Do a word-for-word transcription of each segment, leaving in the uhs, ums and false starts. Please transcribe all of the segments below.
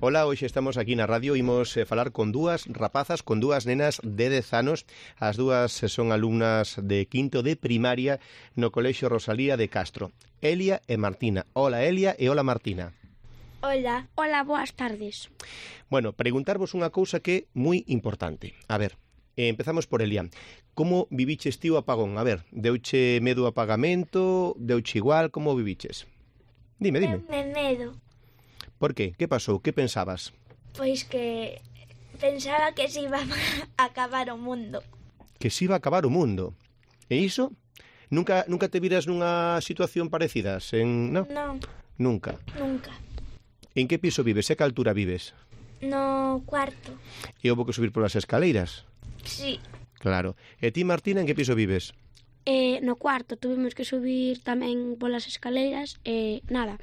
Ola, hoxe estamos aquí na radio, imos eh, falar con dúas rapazas, con dúas nenas de dez anos. As dúas son alumnas de quinto de primaria no Colexio Rosalía de Castro. Elia e Martina. Ola Elia e ola Martina. Hola. Hola, boas tardes. Bueno, preguntarvos unha cousa que é moi importante. A ver, eh, empezamos por Elia. Como viviches ti o apagón? A ver, deuche medo o apagamento? Deuche igual? Como viviches? Dime, dime. Deume medo. Por qué? Que pasou? Que pensabas? Pois que pensaba que se iba a acabar o mundo. Que se iba a acabar o mundo. E iso? Nunca nunca te viras nunha situación parecida? En, no? Non. Nunca. Nunca. En que piso vives? E que altura vives? No cuarto. E houve que subir polas escaleiras? Sí. Claro. E ti, Martina, en que piso vives? Eh, no cuarto tuvimos que subir tamén polas escaleiras e nada.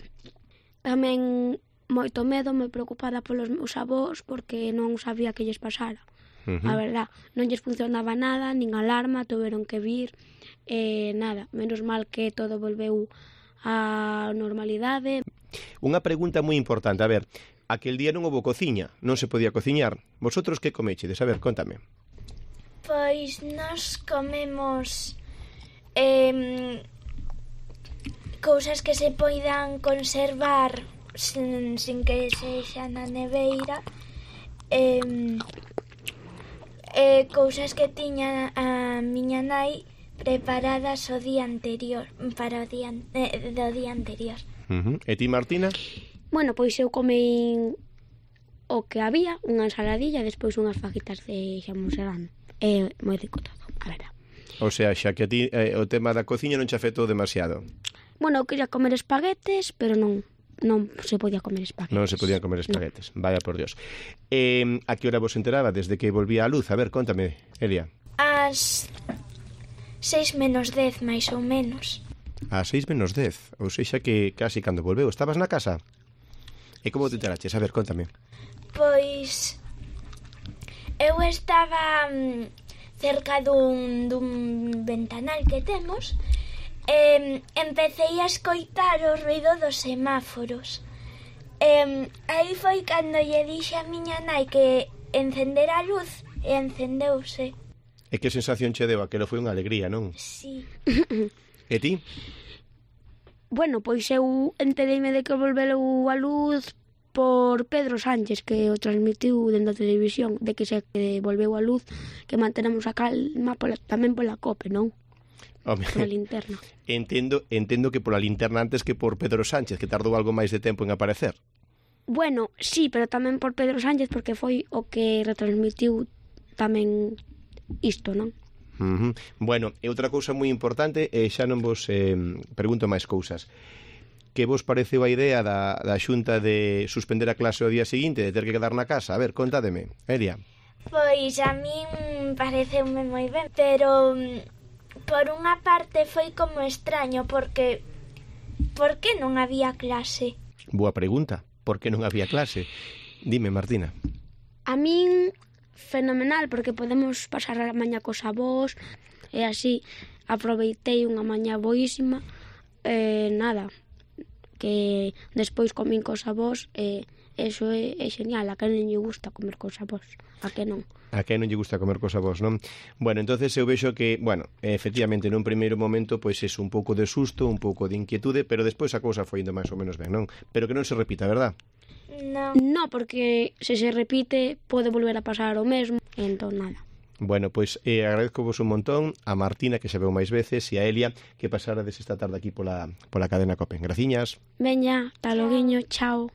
Tamén moito medo, moi preocupada polos meus avós porque non sabía que lles pasara. Uh-huh. A verdad, non lles funcionaba nada, nin alarma, tuveron que vir, e nada, menos mal que todo volveu á normalidade. Unha pregunta moi importante, a ver, aquel día non houve cociña, non se podía cociñar. Vosotros que comechedes? A ver, contame. Pois nos comemos eh, cousas que se poidan conservar sin, sin que sexa na neveira, eh, eh, cousas que tiña a miña nai preparadas o día anterior, para o día, eh, do día anterior. Uh-huh. E ti, Martina? Bueno, pois eu comei o que había, unha ensaladilla, despois unhas fajitas de xamón serrano. É moi rico todo, a verdad. O sea, xa que a ti eh, o tema da cociña non che afectou demasiado. Bueno, eu quería comer espaguetes, pero non non se podía comer espaguetes. Non se podían comer espaguetes, no. Vaya por Dios. Eh, a que hora vos enteraba desde que volvía a luz? A ver, contame, Elia. As seis menos dez, máis ou menos. A seis menos dez, ou sexa que casi cando volveu. Estabas na casa? E como te enteraches? A ver, contame. Pois eu estaba cerca dun, dun ventanal que temos e empecéi a escoitar o ruido dos semáforos. E aí foi cando lle dixe a miña nai que encendera a luz e encendeuse. E que sensación che deu? Aquelo foi unha alegría, non? Sí. E ti? Bueno, pois eu entereime de que volveu a luz por Pedro Sánchez, que o transmitiu dentro da televisión, de que se volveu a luz, que mantenemos a calma pola, tamén pola COPE, non? Home, pola linterna. Entendo, entendo que pola linterna antes que por Pedro Sánchez, que tardou algo máis de tempo en aparecer. Bueno, sí, pero tamén por Pedro Sánchez, porque foi o que retransmitiu tamén isto, non? Uh-huh. Bueno, e outra cousa moi importante, e xa non vos eh, pregunto máis cousas. Que vos pareceu a idea da, da Xunta de suspender a clase o día seguinte, de ter que quedar na casa? A ver, contádeme, Elia. Pois a min pareceume moi ben, pero por unha parte foi como extraño, porque por que non había clase? Boa pregunta, por que non había clase? Dime, Martina. A min fenomenal, porque podemos pasar a mañá cos avós, e así aproveitei unha mañá boísima, e nada, que despois comín cos avós, e eso é, é genial. A que non lle gusta comer cos avós? A que non? A que non lle gusta comer cos avós, non? Bueno, entonces eu vexo que, bueno, efectivamente, nun primeiro momento, pois é un pouco de susto, un pouco de inquietude, pero despois a cousa foi indo máis ou menos ben, non? Pero que non se repita, verdad? No. No, porque se se repite pode volver a pasar o mesmo, entón nada. Bueno, pois eh, agradezco-vos un montón a Martina, que se veu máis veces, e a Elia, que pasarades esta tarde aquí pola, pola cadena COPE. Graciñas. Veña, hasta loguiño, chao.